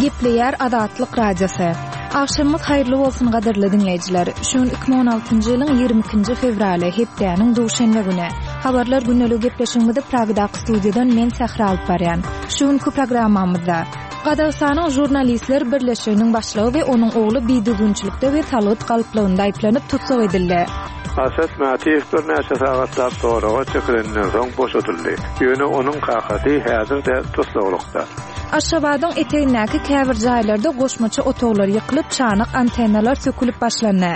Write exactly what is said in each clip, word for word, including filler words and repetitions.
Gepleýär Azatlyk Radiosy. Agşamyňyz haýyrly bolsun gadyrly diňleýjiler. Şu gün iki müň on altynjy ýylyň ýigrimi ikinji fewraly, hepdäniň duşenbe güni. Habarlar gündelik gepleşigimizi Pragdaky studiýadan men Sähra alyp barýan. Şu günki programmamyzda Gazagystanyň Žurnalistler birleşiginiň başlygy we onuň ogly bidüzgünçilikde we salgyt galplygynda aýyplanyp tussag edildi. Aset Matiýew birnäçe sagatlap soraga çekilenden soň boşadyldy. Ýöne onuň kakasy häzir-de tussaglykda. Aşgabadyň etegindäki käbir jaýlarda goşmaça otaglar ýykylyp, çanak antennalar sökülip başlandy.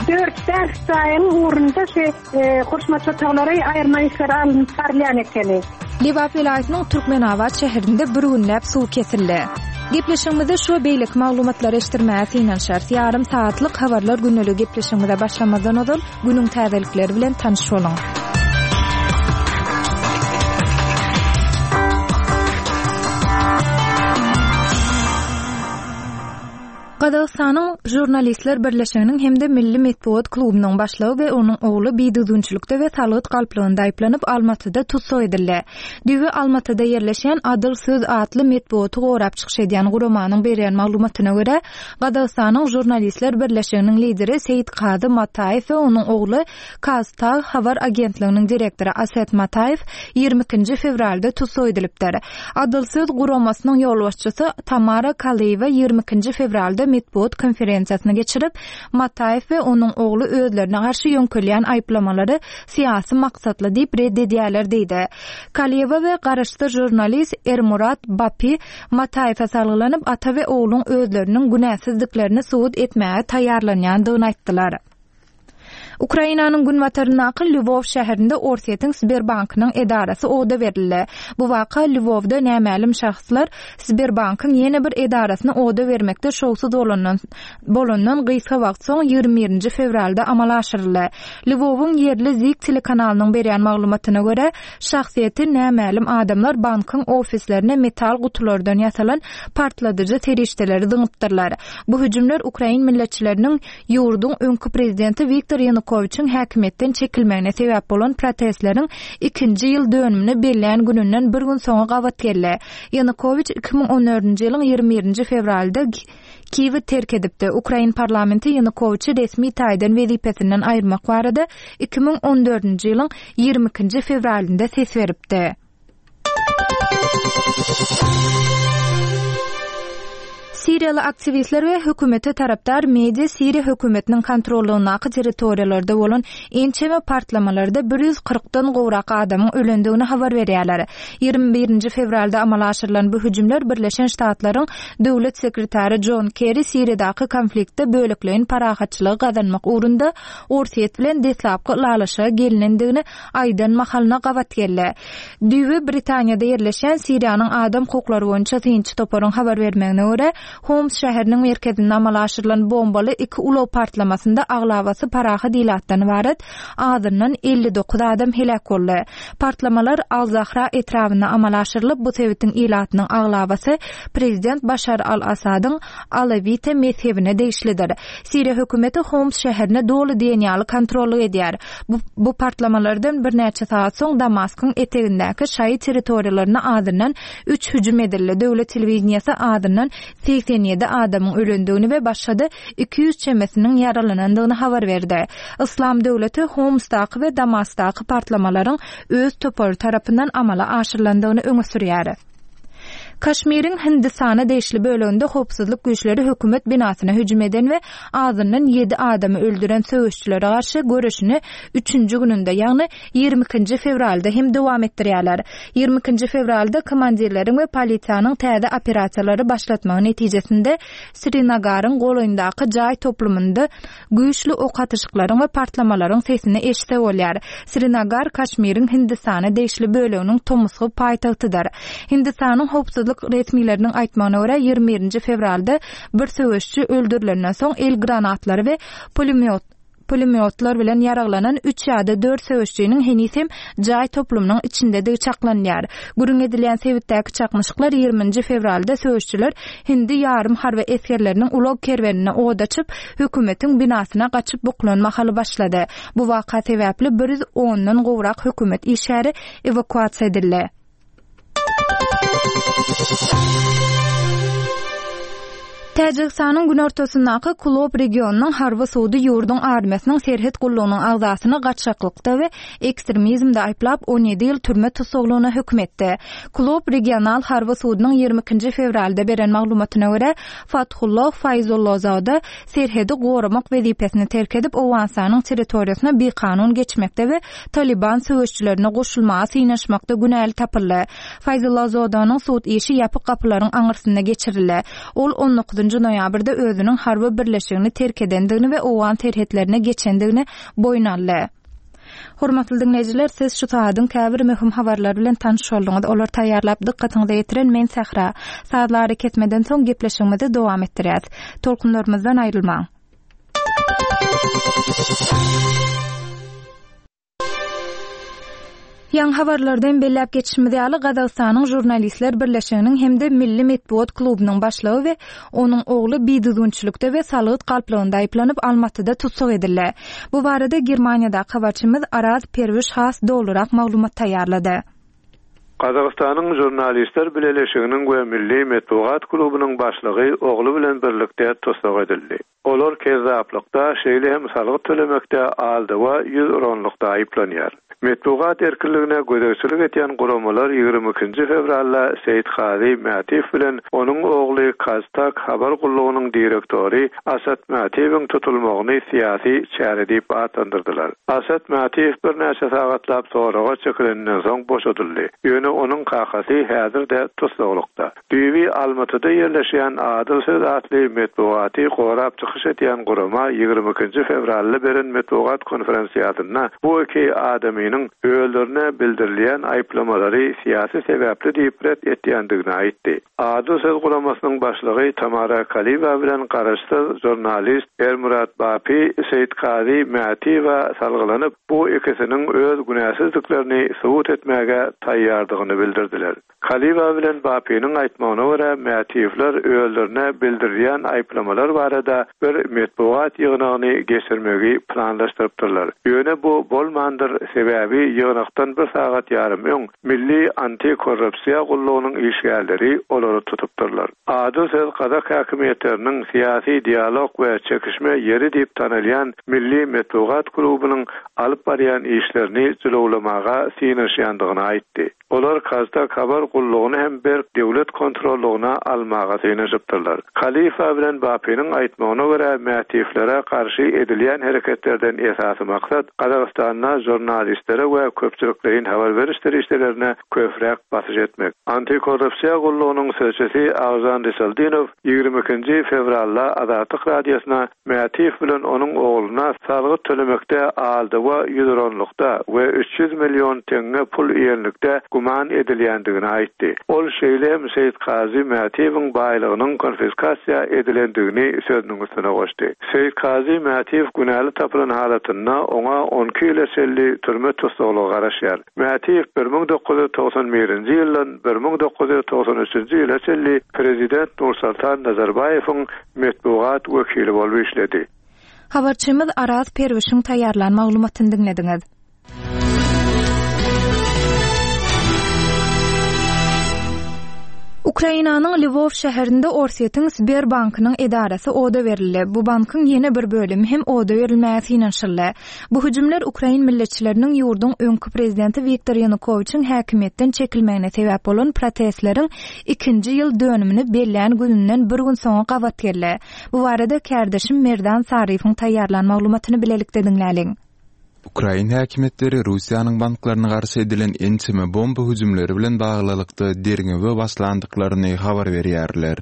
Dört bäş jaýyň ugrunda şu, e, goşmaça otaglary aýyrma işleri alnyp barylýan ekeni. Lebap welaýatynyň Türkmenabat şäherinde bir günläp suw kesildi. Gepleşigimizde şu beýleki maglumatlary eşitdirmäge synanyşarys. Ýarym saatlyk habarlar gündelik gepleşigimize başlamazdan ozal günüň täzelikleri bilen tanyş boluň. Gazagystanyň Žurnalistler birleşiginiň hem-de Milli metbugat klubunyň başlygy we onuň ogly bidüzgünçilikde we salgyt galplygynda aýyplanyp Almatyda tussag edildi. Düýbi Almatyda ýerleşen Adyl Söz atly metbugaty gorap çykyş edýän guramanyň berýän maglumatyna görä, Gazagystanyň Žurnalistler birleşiginiň lideri Seýit Kazy Mataýew we onuň ogly Kaztag habar agentliginiň direktory Aset Mataýew ýigrimi ikinji fewralda tussag edilipdir. Adyl Söz guramasynyň ýolbaşçysy Tamara Kalyýewa ýigrimi ikinji fewralda metbugat konferensiýasyny geçirip, Mataýew we onuň ogly özlerine garşy ýöňkelýän aýyplamalary syýasy maksatly diýip red edýärler diýdi. Kalyýewa we garaşsyz žurnalist Ermurat Bapi Mataýewe salgylanyp, ata we ogluň özleriniň günäsizdiklerini subut etmäge taýýarlanýandygyny aýtdylar. Ukrainanyň günbataryndaky Lwov şäherinde Orsýetiň Sberbankynyň edarasy oda berildi. Bu waka Lwovda nämälim şahslar Sberbankyň ýene bir edarasyny oda bermekde şowsuz bolandan, bolandan gysga wagt soň ýigrimi birinji fewralda amala aşyryldy. Lwowyň ýerli Zik telekanalynyň berýän maglumatyna görä, şahsyýeti nämälim adamlar bankyň ofislerine metal gutulardan ýasalan partladyjy serişdeleri zyňypdyrlar. Bu hüjümler Ukrain milletçileriniň ýurduň öňki prezidenti Wiktor Ýanukowiçiň häkimiýetden çekilmegine sebäp bolan protestleriň ikinji ýyl dönümini bellän gününden bir gün soňa gabat geldi. Ýanukowiç iki müň on dördünji ýylyň ýigrimi birinji fewralda Kiýewi terk edipdi. Ukrain parlamenti Ýanukowiçi resmi taýdan wezipesinden aýyrmak barada iki müň on dördünji ýylyň ýigrimi ikinji fewralynda ses beripdi. Siriýaly aktiwistler we hökümete tarapdar media Siriýa hökümetiniň kontrollygyndaky territoriýalarda bolan ençeme partlamalarda bir ýüz kyrkdan gowrak adamyň ölendigini habar berýärler. Ýigrimi birinji fewralda amala aşyrylan bu hüjümler Birleşen Ştatlaryň döwlet sekretary John Kerry Siriýadaky konfliktde bölekleýin parahatçylygy gazanmak ugrunda Orsýet bilen deslapky ylalaşyga gelinendigini aýdan mahalyna gabat geldi. Düýbi Britaniýada ýerleşen Siriýanyň adam hukuklary boýunça synçy toparyň habar bermegine görä, Homs şäheriniň merkezinde amala aşyrylan bombaly iki ulag partlamasynda aglabasy parahat ilatdan ibarat azyndan elli dokuz adam heläk boldy. Partlamalar Al-Zahra etrabynda amala aşyrylyp, bu sebitiň ilatynyň aglabasy prezident Başar al-Asadyň Alawite mezhebine degişlidir. Siriýa hökümeti Homs şäherine doly diýen ýaly kontrollyk edýär. Bu, bu partlamalardan birnäçe saat soň Damaskyň etegindäki şaýy territoriýalaryna azyndan üç hüjüm edildi. Döwlet telewideniýesi azyndan segsen ýedi adamyň ölendigini we başga-da iki ýüz çemesiniň ýaralanandygyny habar berdi. Islam döwleti Homsdaky we Damasdaky partlamalaryň öz topary tarapyndan amala aşyrylandygyny öňe sürýär. Kaşmiriň Hindistana degişli böleginde howpsuzlyk güýçleri hökümet binasyna hüjüm eden we azyndan ýedi adamy öldüren söweşçilere garşy göreşini üçünji gününde, ýagny ýigrimi ikinji fewralda hem dowam etdirýärler. Ýigrimi ikinji fewralda komandirleriň we polisiýanyň täze operasiýalary başlatmagy netijesinde Srinagaryň golaýyndaky jaý toplumynda güýçli ok atyşyklaryň we partlamalaryň sesini eşitse bolýar. Srinagar Kaşmiriň Hindistana degişli böleginiň tomusky paýtagtydyr. Hindistanyň howpsuzlyk resmileriniň aýtmagyna görä ýigrimi birinji fewralda bir söweşçi öldürilenden soň el granatlary we pulemýot, pulemýotlar bilen ýaraglanan üç ýa-da dört söweşçiniň heniz hem jaý toplumynyň içindedigi çaklanýar. Gürrüň edilýän sebitdäki çaknyşyklar ýigriminji fewralda söweşçiler hindi ýarym harby esgerleriniň ulag kerwenine od açyp, hökümetiň binasyna gaçyp buklan mahaly başlady. Bu waka sebäpli bir ýüz ondan gowrak hökümet işgäri ewakuasiýa edildi. Täjigistanyň günortasyndaky Kulob regionynyň harby sudy ýurduň armiýasynyň serhet gullugynyň agzasyny gaçaklykda we ekstremizmde aýyplap, on ýedi ýyl türme tussaglygyna höküm etdi. Kulob regional harby sudunyň ýigrimi ikinji fewralda beren maglumatyna görä, Fathulloh Faýzullozoda serhedi goramak wezipesini terk edip, Owganystanyň territoriýasyna bikanun geçmekde we Talyban söweşçilerine goşulmaga synanyşmakda günäli tapyldy. Faýzullazodanyň sud işi ýapyk gapylaryň aňyrsynda geçirildi. Ol on dokuzynjy noýabrda özüniň harby birleşigini terk edendigini we owgan serhetlerine geçendigini boýun aldy. Hormatly diňleýjiler, siz şu sagadyň käbir möhüm habarlary bilen tanyş bolduňyz. Olary taýýarlap dykgatyňyza ýetiren men Sähra. Sazly arakesmeden soň gepleşigimizi dowam etdirýäs. Tolkunlarymyzdan aýrylmaň. Ýaňy habarlardan belläp geçişimiz ýaly, Gazagystanyň Žurnalistler birleşiginiň hem-de Milli metbugat klubunyň başlygy we onuň ogly bidüzgünçilikde we salgyt galplygynda aýyplanyp, Almatyda tussag edildi. Bu barada Germaniýadaky habarçymyz Araz Perwiş has dolurak maglumat taýýarlady. Gazagystanyň Žurnalistler bileleşiginiň we Milli metbugat klubunyň başlygy ogly bilen birlikde tussag edildi. Olar kezzaplykda, şeýle hem salgyt tölemekde aldawa ýüz uranlykda aýyplanýar. Metbugat erkinligine gözegçilik etýän guramalar ýigrimi ikinji fewralda Seýitkazy Mätiýew bilen onuň ogly Kaztak habar gullugynyň direktory Asat Mätiýewiň tutulmagyny syýasy çäre diýip atlandyrdylar. Asat Mätiýew birnäçe sagatlap soraga çekilenden soň boşadyldy. Ýöne onuň kakasy häzir-de tussaglykda. Düýbi Almatyda ýerleşýän Adyl Söz atly metbugaty gorap çykyş etýän gurama ýigrimi ikinji fewralda beren metbugat konferensiýasynda bu iki adamynyň özlerine bildirilýän aýyplamalary syýasy sebäpli diýip ret etýändigini aýtdy. Adyl Söz guramasynyň başlygy Tamara Kaliwa bilen garaşsyz žurnalist Ermurat Bapi Seýitkazy Mätiýewe salgylanyp, bu ikisiniň öz günäsizliklerini subut etmäge taýýardygyny bildirdiler. Kaliwa bilen Bapiniň aýtmagyna görä, Mätiýewler özlerine bildirilýän aýyplamalar barada bir metbugat ýygnagyny geçirmegi planlaşdyrypdyrlar. Ýöne bu bolmandyr, sebäbi ýygnakdan bir sagat ýarym öň Milli antikorrupsiýa gullugynyň işgärleri olary tutupdyrlar. Adyl Söz Gazak häkimiýetleriniň syýasy dialog we çekişme ýeri diýip tanalýan Milli metbugat klubunyň alyp barýan işlerini jylawlamaga synanyşýandygyny aýtdy. Olar Kaztak habar gullugyny hem berk döwlet kontrollugyna almaga synanyşypdyrlar. Kalifa bilen Bapiniň aýtmagyna görä, Mätiýewlere garşy edilýän hereketlerden esasy maksat Gazagystanda žurnalistlere we köpçülikleýin habar beriş serişdelerine köpräk basyş etmek. Antikorrupsiýa gullugynyň sözçüsi Agzan Risaldinow ýigrimi ikinji fewralda Azatlyk radiosyna Mätiýew bilen onuň ogluna salgyt tölemekde aldawa ýüz uranlykda we üç ýüz million teňňe pul iýenlikde güman edilýändigini aýtdy. Ol şeýle hem Seýitkazy Mätiýewiň baýlygynyň konfiskasiýa edilendigini sözüniň üstüne goşdy. Seýitkazy Mätiýew günäli tapylan halatynda oňa on iki ýyla çenli türme tussaglygy garaşýar. Mätiýew bir müň dokuz ýüz togsan birinji ýyldan bir müň dokuz ýüz togsan üçünji ýyla çenli prezident Nursultan Nazarbaýewiň metbugat wekili bolup işledi. Habarçymyz Araz Perwişiň taýýarlan maglumatyny diňlediňiz. Ukrainanyň Lwów şäherinde Orsýetiň Sberbankynyň edarasy oda berildi. Bu bankyň ýene bir bölümi hem oda berilmäge synanyşyldy. Bu hüjümler Ukrain milletçileriniň ýurduň öňki prezidenti Wiktor Ýanukowiçiň häkimiýetden çekilmegine sebäp bolan protestleriň ikinji ýyl dönümini bellän gününden bir gün soňa gabat geldi. Bu barada kärdeşim Merdan Saryfyň taýýarlan maglumatyny bilelikde diňläliň. Ukrain häkimiýetleri Russiýanyň banklaryna garşy edilen ençeme bomba hüjümleri bilen baglylykda derňewe başlandyklaryny habar berýärler.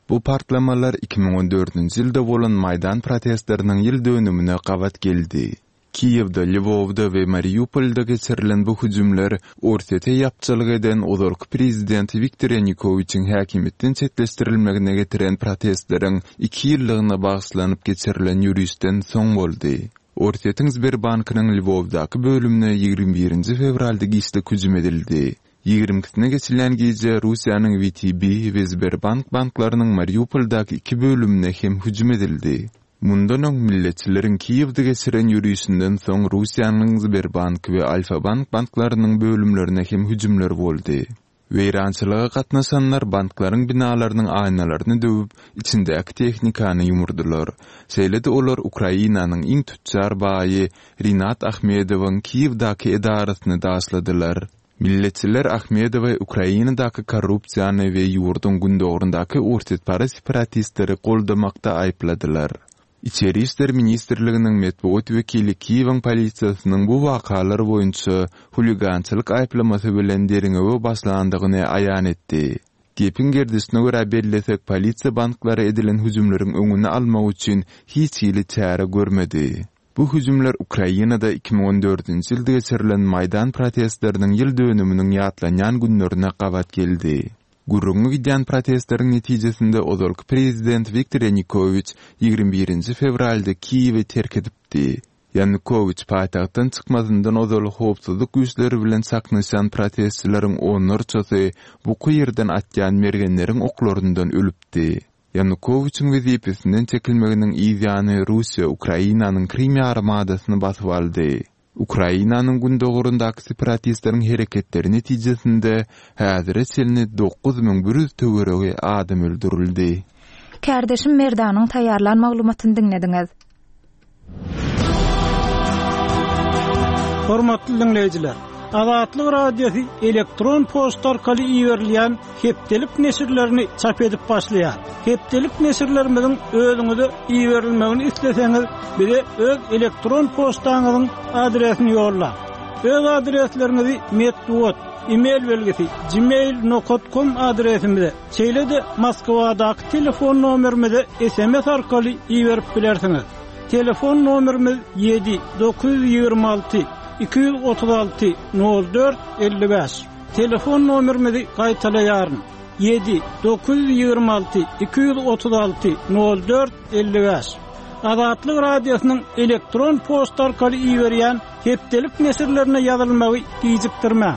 Bu partlamalar iki müň on dördünji ýylda bolan Maýdan protestleriniň ýyl dönümine gabat geldi. Kiýewde, Lwowda we Mariupolda geçirilen bu hüjümler Orsýete ýapjalyk eden ozalky prezident Wiktor Ýanukowiçiň häkimiýetden çetleşdirilmegine getiren protestleriň iki ýyllygyna bagyşlanyp geçirilen ýürüşden soň boldy. Orsýetiň Sberbankynyň Lwowdaky bölümine ýigrimi birinji fewralda giçlik hüjüm edildi. Ýigrimi ikisine geçilen gije Russiýanyň W T B we Sberbank banklarynyň Mariupoldaky iki bölümine hem hüjüm edildi. Mundan öň milletçileriň Kiýewde geçiren ýürüşinden soň Russiýanyň Sberbank we Alfa-Bank banklarynyň bölümlerine hem hüjümler boldy. Weýrançylyga gatnaşanlar banklaryň binalarynyň aýnalaryny döwüp, içindäki tehnikany ýumurdylar. Şeýle-de olar Ukrainanyň iň tütjar baýy Rinat Ahmedowyň Kiýewdäki edarasyny daşladylar. Milletçiler Ahmedowy Ukrainadaky korrupsiýany we ýurduň gündogaryndaky orsýetparaz separatistleri goldamakda aýypladylar. Içeri işler ministrliginiň metbugat wekili Kiýewiň polisiýasynyň bu wakalar boýunça huligançylyk aýyplamasy bilen derňewe başlandygyny aýan etdi. Gepiň gerdişine görä bellesek, polisiýa banklara edilen hüjümleriň öňüni almak üçin hiç hili çäre görmedi. Bu hüjümler Ukrainada iki müň on dördünji ýylda geçirilen Maýdan protestleriniň ýyl dönüminiň ýatlanýan günlerine gabat geldi. Gürrüňi gidýän protestleriň netijesinde ozalky prezident Wiktor Ýanukowiç ýigrimi birinji fewralda Kiýewi terk edipdi. Ýanukowiç paýtagtdan çykmazyndan ozal howpsuzlyk güýçleri bilen çaknyşan protestçileriň onlarçasy buky ýerden atýan mergenleriň oklaryndan ölüpdi. Ýanukowiçiň wezipesinden çekilmeginiň yz ýany Russiýa Ukrainanyň Krim ýarymadasyny basyp aldy. Ukrainanyň gündogaryndaky separatistleriň hereketleri netijesinde häzire çenli dokuz müň bir ýüz töweregi adam öldürildi. Kärdeşim Merdanyň taýýarlan maglumatyny diňlediňiz. Hormatly dinleýjiler, Azatlyk Radiosy elektron poçta arkaly iberilýän hepdelik neşirlerini çap edip başlaýar. Hepdelik neşirlerimiziň özüňize iberilmegini isleseňiz, bize öz elektron poçtaňyzyň adresini ýolla. Öz adresleriňizi metbugat, e-mail belgisi gmail nokta com adresimize, şeýle-de Moskwadaky telefon nomerimize S M S arkaly iberip bilersiňiz. Telefon nomerimiz ýedi dokuz ýüz ýigrimi alty iki ýüz otuz alty nol dört elli bäş. Telefon nomerimizi gaýtalaýaryn. Ýedi dokuz ýüz ýigrimi alty iki ýüz otuz alty nol dört elli bäş. Azatlyk Radiosynyň elektron poçta arkaly iberýän hepdelik neşirlerine ýazylmagy gijikdirmäň.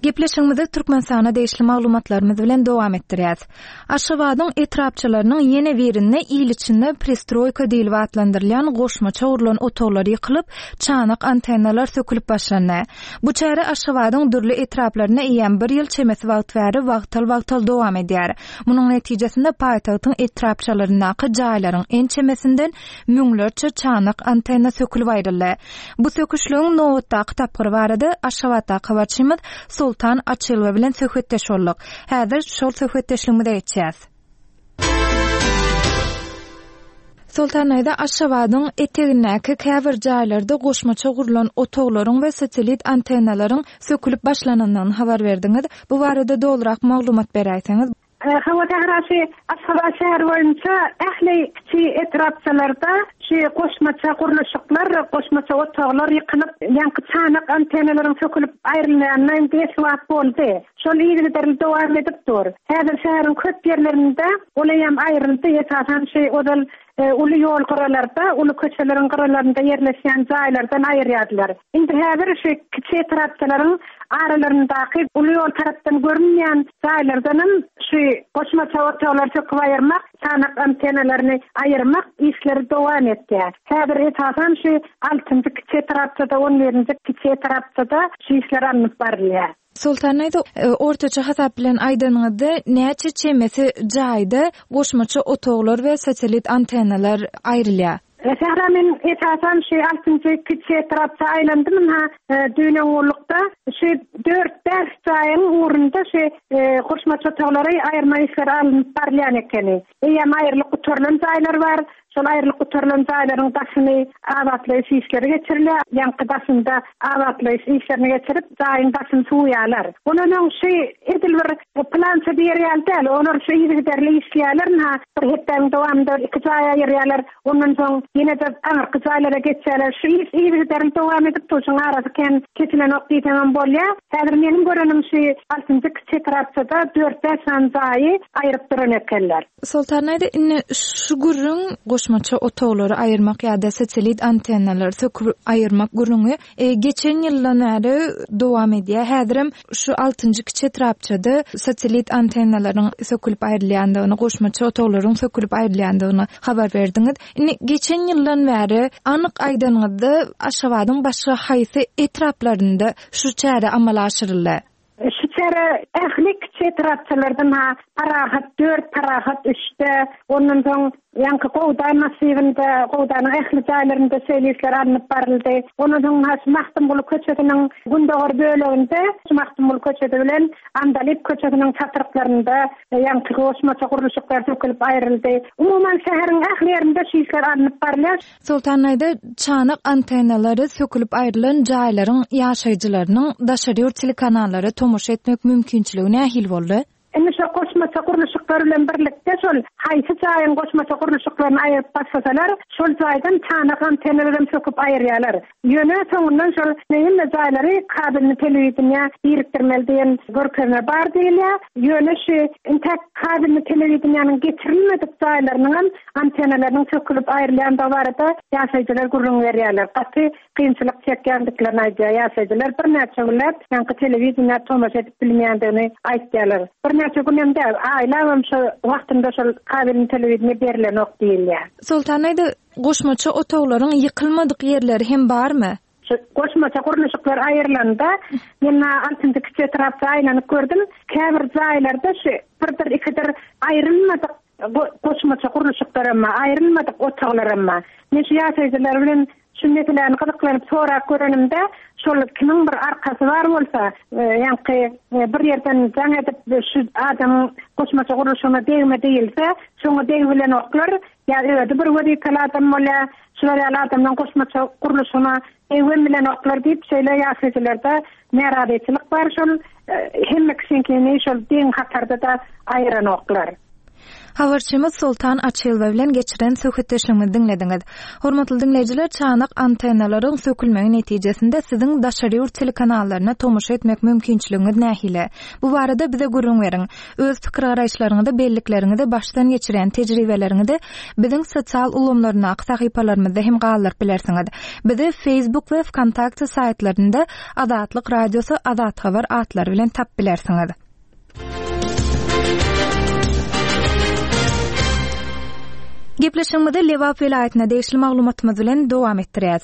Gepleşigimizi Türkmenistana degişli maglumatlarymyz bilen dowam etdirýäs. Aşgabadyň etrapçalarynyň ýene birinde il içinde prestroýka diýilip atlandyrylýan goşmaça gurlan otaglar ýykylyp, çanak antennalar sökülip başlandy. Bu çäre Aşgabadyň dürli etraplarynda eýýäm bir ýyl çemesi wagt bäri wagtal-wagtal dowam edýär. Munuň netijesinde paýtagtyň etrapçalaryndaky jaýlaryň ençemesinden müňlerçe çanak antenna sökülip aýryldy. Bu söküşligiň nobatdaky tapgyry barada Aşgabatdaky habarçymyz Sultan Açylwa bilen söhbetdeş bolduk. Häzir şol söhbetdeşligimize geçýäs. Sultan Aýda Aşgabadyň etegindäki käbir jaýlarda goşmaça gurlan otaglaryň we satellit antennalaryň sökülip başlanandygyny habar berdiňiz. Bu barada dogrurak maglumat beräýseňiz. Hawa tährasy Aşgabat şäheri boýunça ähli kiçi etrapçalarda şu goşmaça gurluşyklar, goşmaça otaglar ýykylyp, ýaňky çanak antennalaryň sökülip aýrylmagyna indi esli wagt boldy. Şol yzygiderli dowam edip dur. Häzir şäheriň köp ýerlerinde ol hem aýryldy. Esasan şu ozal, e, uly ýol gyralarda, uly köçeleriň gyralarynda ýerleşýän jaýlardan aýyrýardylar. Indi häzir şu kiçi etrapçalaryň aralaryndaky uly ýol tarapdan görünýän jaýlardan hem şu goşmaça otaglar söküp aýyrmak, çanak antennalaryny aýyrmak işleri dowam etýär. Häzir esasan şu altynjy kiçi etrapçada, on birinji kiçi etrapçada şu işler alnyp barylýar. Sultan Aýda, e, ortaça hasap bilen aýdanyňyzda näçe çemesi jaýda goşmaça otaglar we satellit antennalar aýrylýar? E, Sähra, men esasan şu altynjy kiçi etrapça aýlandym, ha, e, düýn oňurlukda şu dört bäş jaýyň ugrunda şu, e, goşmaça otaglary aýyrma işleri alnyp barylýan ekeni. Eýýäm aýrylyp gutarylan jaýlar bar. Şol aýrylyp gutarylan jaýlaryň daşyny abatlaýyş işleri geçirilýär. Ýaňky daşynda abatlaýyş işlerini geçirip, jaýyň daşyny suwýarlar. Ondan öň şu edil bir plança bir ýer däl, olar şu yzygiderli işleýärler, ha, bir hepdäniň dowamynda iki jaý aýyrýarlar. Ondan soň ýene-de aňyrky jaýlara geçýärler. Şu iş yzygiderli dowam edip, şoň arasy kem kesilenok diýseň hem bolýar. Häzir meniň görenim şu altynjy kiçi etrapçada dört bäş sany jaýy aýryp duran ekenler. Sultan Aýda, indi şu gürrüň Goşmaça otaglary aýyrmak ýa-da satellit antennalary söküp aýyrmak gürrüňi e, geçen ýyldan bäri dowam edýär. Häzirem şu altynjy kiçi etrapçada satellit antennalaryň sökülip aýrylýandygyny, goşmaça otaglaryň sökülip aýrylýandygyny habar berdiňiz. Indi geçen ýyldan bäri anyk aýdanyňyzda Aşgabadyň başga haýsy etraplarynda şu çäre amala aşyryldy? Şu çäre ähli kiçi etrapçalardan ha Parahat dört, Parahat üçde, ondan soň ýaňky Gowda massiwinde, Gowdanyň ähli jaýlarynda şeýle işler alnyp baryldy. Ondan soň ha şu Magtymguly köçesiniň gündogar böleginde, şu Magtymguly köçesi bilen Andalyp köçesiniň çatryklarynda ýaňky goşmaça gurluşyklar sökülip aýryldy. Umuman şäheriň ähli ýerinde şu işler alnyp barylýar. Soltanaýda çanak antennalary sökülip aýrylan jaýlaryň ýaşaýjylarynyň daşary ýurt telekanallara tomaşa etmek mümkinçiligi nähili boldy? Indi şo goşmaça gurluşyklar bilen birlikde şol haýsy jaýyň goşmaça gurluşyklaryny aýryp başlasalar, şol jaýdan çanak antennalaryny söküp aýyrýarlar. Ýöne soňundan şol hemme jaýlary kabelli telewideniýä birikdirmeli diýen görkezme bar diýilýär. Ýöne şu intäk kabelli telewideniýäniň geçirilmedik jaýlarynyň hem antennalarynyň sökülip aýrylýandygy barada ýaşaýjylar gürrüň berýärler. Gaty kynçylyk çekýändiklerini aýdýar ýaşaýjylar. Birnäçe günläp ýaňky telewideniýä tomaşa edip bilmeýändigini aýtýarlar. Birnäçe günem däl, aýlabam şo wagtynda şol kabelli telewideniýe berilenok diýilýär. Soltanaýda goşmaça otaglaryň ýykylmadyk ýerleri hem barmy? Şu goşmaça gurluşyklar aýrylanda, men altynjy kiçi etrapda aýlanyp gördüm. Käbir jaýlarda şu birdir, ikidir aýrylmadyk go-, goşmaça gurluşyklar hem bar, aýrylmadyk otaglar hem bar. Men şu ýaşaýjylar bilen şu meseläni gyzyklanyp sorap görenimde, şol kimiň bir arkasy bar bolsa, e, ýaňky, e, bir ýerden jaň edip şu adamyň goşmaça gurluşygyna degme diýilse, şoňa deg bilen oklar, ýa özi bir wezipeli adam bolýar, şular ýaly adamdan goşmaça gurluşygyna degme bilen oklar diýip şeýle ýaşaýjylarda närazyçylyk bar, şol, e, hemme kişiňkini şol deň hatarda da aýyran oklar. Habarçymyz Soltan Açylwa bilen geçiren söhbetdeşligimizi diňlediňiz. Hormatly diňleýjiler, çanak antennalaryň sökülmegi netijesinde siziň daşary ýurt telekanallaryna tomaşa etmek mümkinçiligiňiz nähili? Bu barada bize gürrüň beriň. Öz pikir garaýyşlaryňyzy, bellikleriňizi, başdan geçiren tejribeleriňizi biziň sosial ulgamlaryndaky sahypalarymyzda hem galdyryp bilersiňiz. Bizi Facebook we VKontakte saýtlarynda Azatlyk Radiosy Azat Habar atlary bilen tap bilersiňiz. Gepleşigimizi Lebap welaýatyna degişli maglumatymyz bilen dowam etdirýäs.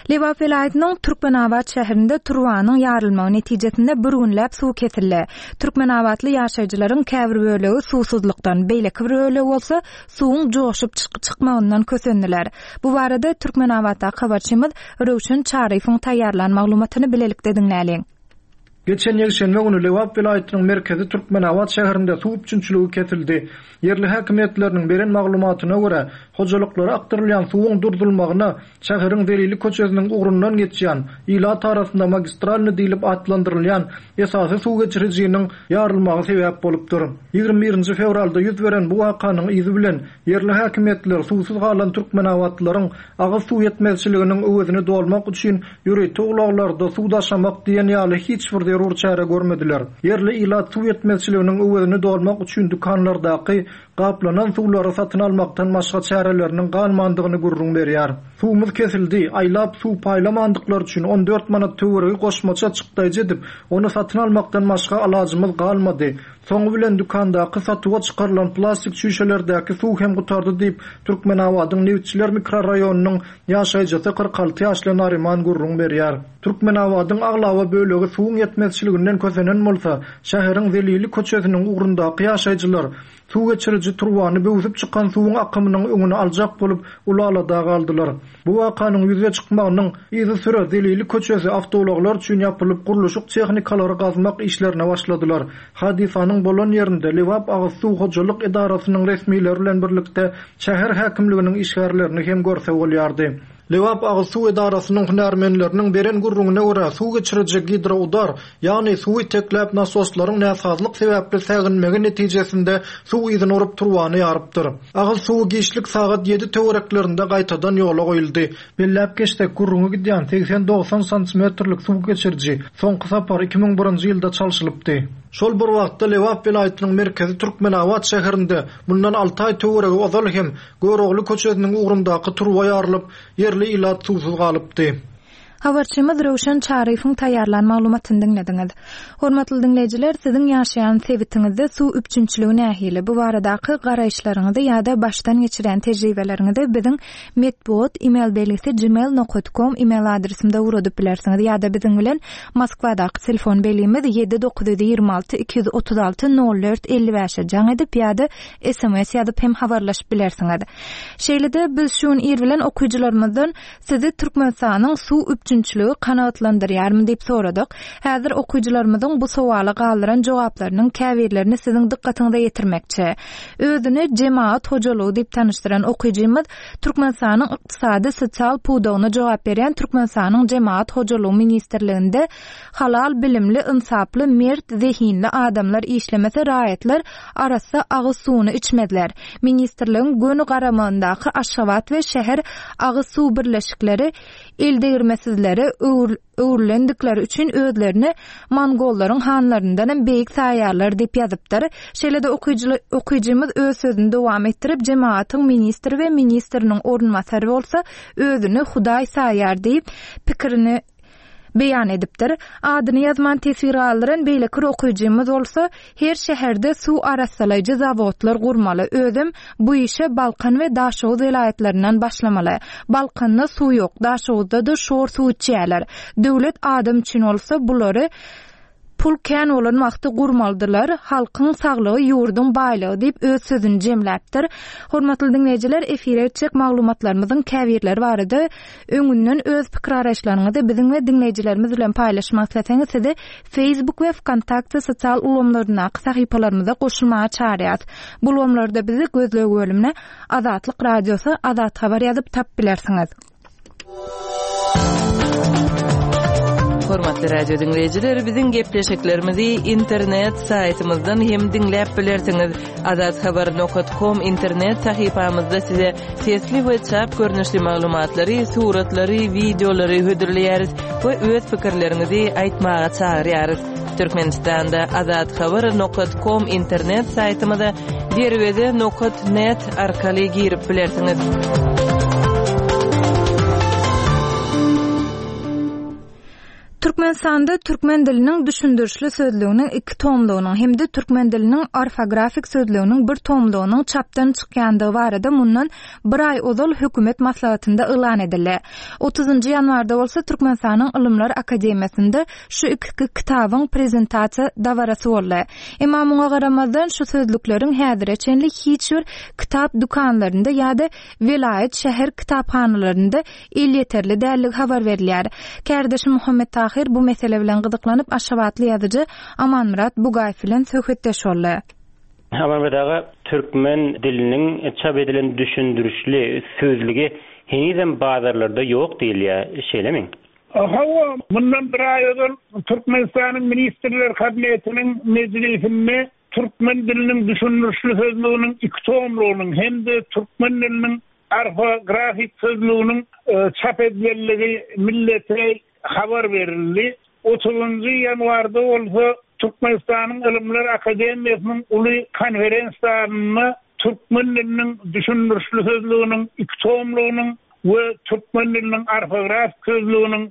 Lebap welaýatynyň Türkmenabat şäherinde turbanyň ýarylmagy netijesinde bir günläp suw kesildi. Türkmenabatly ýaşaýjylaryň käbir bölegi suwsuzlykdan, beýleki bir bölegi bolsa suwuň joşup çyk-, çykmagyndan kösendiler. Bu barada Türkmenabatdaky habarçymyz Röwşen Çaryýewiň taýýarlan maglumatyny bilelikde diňläliň. Geçen ýekşenbe güni Lebap welaýatynyň merkezi Türkmenabat şäherinde suw üpjünçiligi kesildi. Ýerli häkimiýetleriniň beren maglumatyna görä, hojalyklara akdyrylýan suwuň durdurylmagyna şäheriň Zelili köçesiniň ugrundan geçýän ilat arasynda magistralny diýlip atlandyrylýan esasy suw geçirijiniň ýarylmagy sebäp bolupdyr. Ýigrimi birinji fewralda ýüz beren bu wakanyň yzy bilen ýerli häkimiýetler suwsuz galan türkmenabatlylaryň agyz suw ýetmezçiliginiň öwezini dolmak üçin ýörite ulaglarda suw daşamak diýen ýaly hiç bir zerur çäre görmediler. Ýerli ilat suw ýetmezçiliginiň öwezini dolmak üçin dükanlardaky gaplanan suwlary satyn almakdan başga çäreleriniň galmandygyny gürrüň berýär. Suwumyz kesildi, aýlap suw paýlamandyklar üçin on dört manat töweregi goşmaça çykdaýjy edip, ony satyn almakdan başga alajymyz galmady. Soňy bilen dükandaky satuwa çykarylan plastik çüýşelerdäki suw hem gutardy diýip, Türkmenabadyň Nebitçiler mikrorayonynyň ýaşaýjysy kyrk alty ýaşly Nariman gürrüň berýär. Türkmenabadyň aglaba bölegi suwuň ýetmezçiliginden kösenen bolsa, şäheriň Zelili köçesiniň ugrundaky ýaşaýjylar suw geçiriji turbany böwsüp çykan suwuň akymynyň öňüni aljak bolup ulalada galdylar. Bu wakanyň ýüze çykmagynyň yzysüre Zelili köçesi awtoulaglar üçin ýapylyp gurluşyk tehnikalary gazmak işlerine başladylar. Hadysanyň bolan ýerinde Lebap agyz suw hojalyk edarasynyň resmileri bilen birlikde şäher häkimliginiň işgärlerini hem görse bolýardy. Lebap agyz suw edarasynyň hünärmenleriniň beren gürrüňine görä suw geçiriji gidroudar, ýagny suwy tekläp nasoslaryň näsazlyk sebäpli säginmegi netijesinde suw yzyny urup turbany ýarypdyr. Agyz suwy giçlik sagat ýedi töwereklerinde gaýtadan ýola goýuldy. Belläp geçsek, gürrüňi gidýän segsen dogsan santimetrlik suw geçiriji soňky sapar iki müň birinji ýylda çalşylypdy. Şol bir wagtda Lebap welaýatynyň merkezi Türkmenabat şäherinde mundan alty aý töweregi ozal hem Görogly köçesiniň ugrundaky turba ýarylyp, ýerli ilat suwsuz galypdy. Habarçymyz Röwşen Çaryýewiň taýýarlan maglumatyny diňlediňiz. Hormatly diňleýjiler, siziň ýaşaýan sebitiňizde suw üpjünçiligi nähili? Bu baradaky garaýyşlaryňyzy ýa-da başdan geçiren tejribeleriňizi biziň metbugat e-mail belgisi gmail nokta com e-mail adresimize ugradyp bilersiňiz ýa-da biziň bilen Moskwadaky telefon belgimiz ýedi dokuz ýüz ýigrimi alty iki ýüz otuz alty nol dört elli bäşe jaň edip ýa-da S M S ýazyp hem habarlaşyp bilersiňiz. Şeýle-de biz şu gün ir bilen okyjylarymyzdan sizi Türkmenistanyň suw üpjünçiligi kanagatlandyrýarmy diýip soradyk. Häzir okyjylarymyzyň bu sowala galdyran jogaplarynyň käbirlerini siziň dykgatyňyza ýetirmekçi. Özüni jemaat hojalygy diýip tanyşdyran okyjymyz Türkmenistanyň ykdysady sosial pudagyna jogap berýän Türkmenistanyň Jemaat Hojalygy Ministrliginde halal bilimli, ynsaply, mert, zehinli adamlar işlemese raýatlar arassa agyz suwuny içmezler. Ministrligiň göni garamagyndaky Aşgabat we şäher agyz suw birleşikleri eldegirmesizlere öwrül-, öwrülendikleri üçin özlerini mongollaryň hanlaryndan hem beýik saýarlar diýip ýazypdyr. Şeýle-de okyjy-, okyjymyz öz sözüni dowam etdirip, jemaatyň ministri we ministriniň orunbasary bolsa özüni Hudaý saýar diýip pikirini beýan edipdir. Adyny ýazman teswir galdyran beýleki bir okyjymyz bolsa her şäherde suw arassalaýjy zawodlar gurmaly. Özüm bu işe Balkan we Daşoguz welaýatlaryndan başlamaly. Balkanda suw ýok, Daşoguzda-da şor suw içýärler. Döwlet adam üçin bolsa bulary pul kän bolan wagty gurmalydylar. Halkyň saglygy ýurduň baýlygy diýip öz sözüni jemläpdir. Hormatly diňleýjiler, efire etjek maglumatlarymyzyň käbirleri barada öňünden öz pikir araçlaryňyzy biziň we diňleýjilerimiz bilen paýlaşmak isleseňiz sizi Facebook we VKontakte sosial ulgamlaryndaky sahypalarymyza goşulmaga çağırýarys. Bu ulgamlarda bizi gözleg bölümine Azatlyk Radiosy Azat Habar ýazyp tap bilersiňiz. Hormatly radio diňleýjiler, biziň gepleşiklerimizi internet saýtymyzdan hem diňläp bilersiňiz. Azathabar nokta com internet sahypamyzda size sesli we çap görnüşli maglumatlary, suratlary, wideolary hödürleýäris we öz pikirleriňizi aýtmaga çagyrýarys. Türkmenistanda azathabar nokta com internet saýtymyza derweze nokta net arkaly girip bilersiňiz. Türkmenistanda türkmen diliniň düşündirişli sözlüginiň iki tomlugynyň hem-de türkmen diliniň orfografik sözlüginiň bir tomlugynyň çapdan çykýandygy barada mundan bir aý ozal hökümet maslahatynda yglan edildi. Otuzynjy ýanwarda bolsa Türkmenistanyň Ylymlar Akademiýasynda şu iki kitabyň prezentasiýa dabarasy boldy. Emma muňa garamazdan şu sözlükleriň häzire çenli hiç bir kitap dükanlarynda ýa-da welaýat şäher kitaphanalarynda elýeterli dälligi habar berilýär. Kärdeşim Muhammet Tahir bu mesele bilen gyzyklanyp Aşgabatly ýazyjy Amanmyrat Bugaýew bilen söhbetdeş boldy. Amanmyrat aga, türkmen diliniň çap edilen düşündirişli sözlügi henizem bazarlarda ýok diýilýär, şeýlemi? Hawa, mundan bir aý ozal Türkmenistanyň Ministrler Kabinetiniň mejlisinde türkmen diliniň düşündirişli sözlüginiň iki tomlugynyň hem-de türkmen diliniň orfografik sözlüginiň, e, çap edilendigi millete habar berildi. Otuzunjy ýanwarda bolsa Türkmenistanyň Ylymlar Akademiýasynyň uly konferensiýasynda türkmen diliniň düşündirişli sözlüginiň iki tomlugynyň we türkmen diliniň orfografik sözlüginiň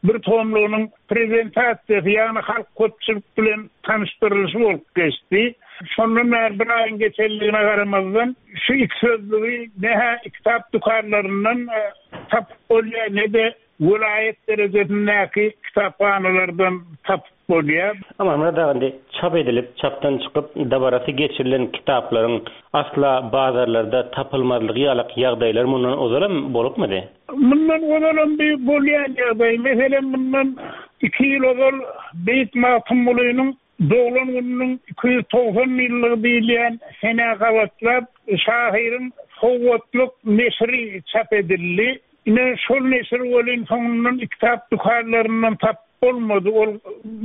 bir tomlugynyň prezentasiýasy, ýagny halk köpçülik bilen tanyşdyrylyşy bolup geçdi. Şondan bäri bir aýyň geçenligine garamazdan şu iki sözlügi ne-hä kitap dükanlaryndan, e, tapyp bolýar, ne-de welaýat derejesindäki kitaphanalardan tapyp bolýar. Amanmyrat aga, indi çap edilip, çapdan çykyp dabarasy geçirilen kitaplaryň asla bazarlarda tapylmazlygy ýaly ýagdaýlar mundan ozalam bolupmydy? Mundan ozalam bir bolýan ýagdaý. Meselem, mundan iki ýyl ozal Beýik Magtymgulynyň doglan gününiň iki ýüz togsan ýyllygy diýilýän senä gabatlap şahyryň sowgatlyk neşiri çap edildi. Ine şol neşir welin soňundan kitap dükanlaryndan tap bolmady. Ol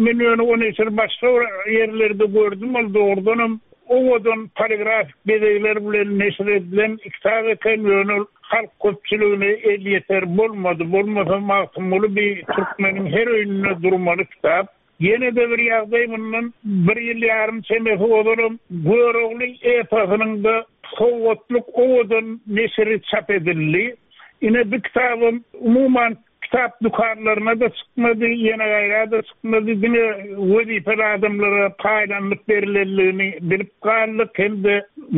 men ýöne o neşiri başga bir ýerlerde gördüm. Ol dogrudanam owadan poligrafik bezegler bilen neşir edilen kitap eken, ýöne ol halk köpçüligine elýeter bolmady. Bolmasa Magtymguly bir türkmeniň her öýünde durmaly kitap. Ýene-de bir ýagdaý mundan bir ýyl ýarym çemesi ozalam Görogly eposynyň-da sowgatlyk owadan neşiri çap edildi. Ine bu kitabym umuman kitap dükanlaryna-da çykmady, ýene gaýra-da çykmady, diňe wezipeli adamlara paýlanyp berilenligini bilip galdyk hem-de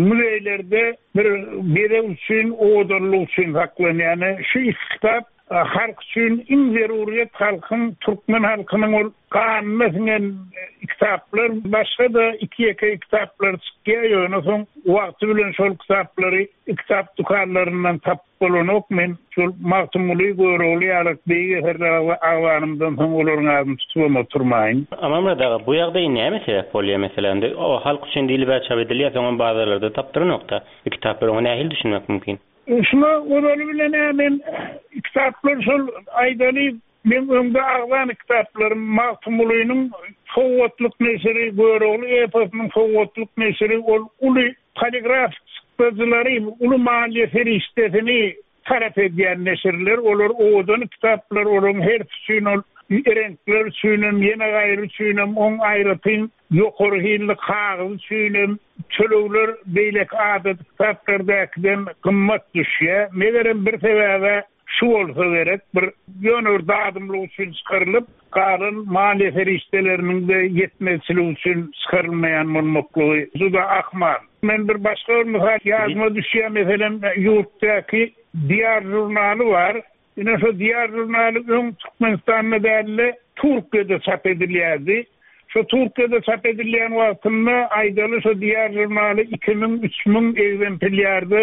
muzeýlerde bir bezeg üçin, owadanlyk üçin saklanýan. Şu iki kitap halk üçin iň zeruriyet halkyň, türkmen halkynyň ol ganyna siňen kitaplar, başga-da iki ýeke kitaplar çykýar, ýöne soň wagty bilen şol kitaplary kitap dükanlaryndan tapyp bolanok. Men şol Magtymguly, Görogly ýaly beýik eserler agzanymdan soň olaryň adyny tutubam oturmaýyn. Amanmyrat aga, bu ýagdaý näme sebäp bolýar meselem? O halk üçin diýlip çap edilýär, soňam bazarlarda tapdyranokda. Bu kitaplar oňa nähili düşünmek mümkin? Şuna ozaly bilen men kitaplar şol aýdaly men öňde agzan kitaplarym Magtymgulynyň sowgatlyk neşiri, Görogly eposynyň sowgatlyk neşiri ol uly poligraf çykdajylary, uly maliýe serişdesini talap edýän neşirler, olar owadan kitaplar, olaryň her üçin ol reňkler üçinem, ýene gaýry üçinem, oň aýratyn ýokary hilli kagyz üçinem tölegler beýleki adat kitaplardakiden gymmat düşýär. Megerem bir sebäbe şu bolsa gerek, bir ýöne bir dadymlyk üçin çykarylyp, galan maliýe serişdeleriniň de ýetmezçiligi üçin çykarylmaýan bolmaklygy juda ahmal. Men bir başga bir mysal ýadyma düşýär, meselem, ýurtdaky Diýar žurnaly bar. Ine şu Diýar žurnaly öň Türkmenistanda däl-de Türkiýede çap edilýärdi. Şu Türkiýede çap edilýän wagtynda aýdaly şu Diýar žurnaly iki müň, üç müň egzemplýarda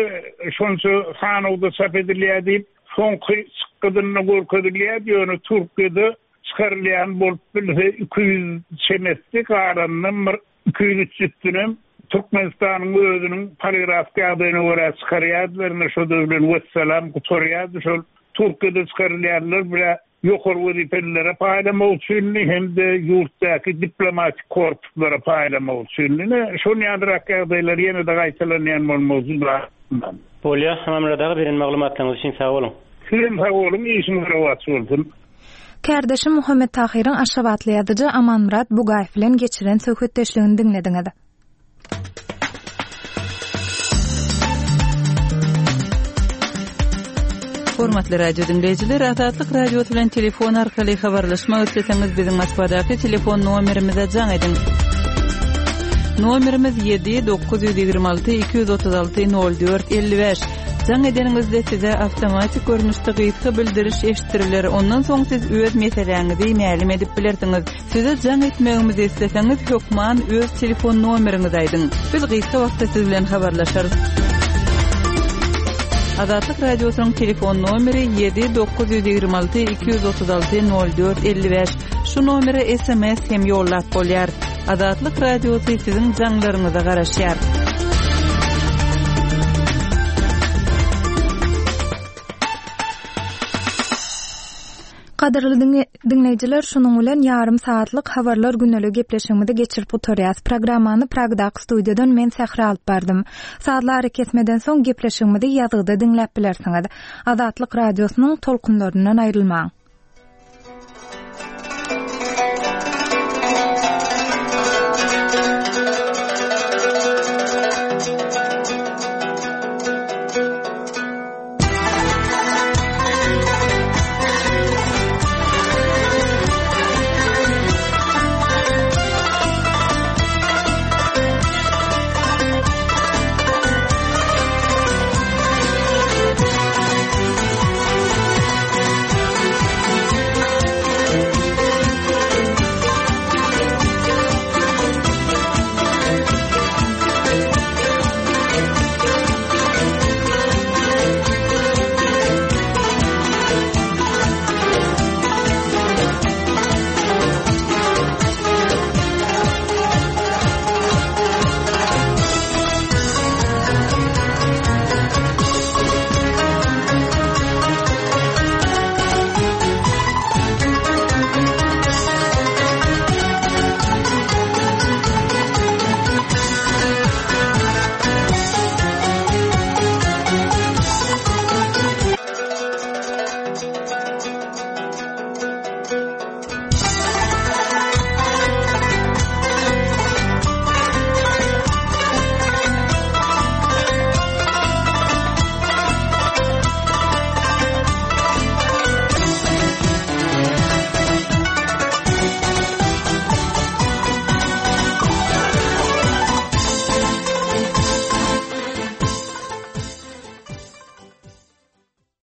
şonça sanawda çap edilýär diýip, soňky çykgydynda görkezilýärdi. Ýöne Türkiýede çykarylýan bolup bilse iki ýüz çemesi, galanyndan bir iki ýüz üç ýüzünem Türkmenistanyň özüniň poligrafik ýagdaýyna görä çykarýardylar. Ine şo bilen wessalam gutarýardy. Şol Türkiýede çykarylýanlar bile ýokary wezipelilere paýlamak üçin hem-de ýurtdaky diplomatik korpuslara paýlamak üçin. Ine şol ýalyrak ýagdaýlar ýene-de gaýtalanýan bolmagy juda ahmal. Bolýar, Amanmyrat aga, beren maglumatlaryňyz üçin sag boluň. Sizem sag boluň, işiňiz rowaç bolsun. Kärdeşim Muhammet Tahyryň Aşgabatly ýazyjy Amanmyrat Bugaýew bilen geçiren söhbetdeşligini diňlediňiz. Hormatly radio dinleýjiler, Azatlyk Radiosy bilen telefon arkaly habarlaşmak isleseňiz biziň Moskwadaky telefon nomerimize jaň ediň. Nomerimiz ýedi dokuz ýüz ýigrimi alty iki ýüz otuz alty nol dört elli bäş. Jaň edeniňizde size awtomatik görnüşde gysga bildiriş eşitdiriler. Ondan soň siz öz meseläňizi mälim edip bilersiňiz. Size jaň etmegimizi isleseňiz hökman öz telefon nomeriňizi aýdyň. Biz gysga wagtda siz bilen habarlaşarys. Azatlyk Radiosynyň telefon nomeri ýedi dokuz ýüz ýigrimi alty iki ýüz otuz alty nol dört elli bäş. Şu nomere S M S hem ýollap bolýar. Azatlyk Radiosy siziň jaňlaryňyza garaşýar. Gadyrly diňle-, diňleýjiler, şunuň bilen ýarym saatlyk habarlar gündelik gepleşigimizi geçirip gutarýas. Programmany Pragdaky studiýadan men Sähra alyp bardym. Sazly ara kesmeden soň gepleşigimizi ýazgyda diňläp bilersiňiz. Azatlyk Radiosynyň tolkunlaryndan aýrylmaň.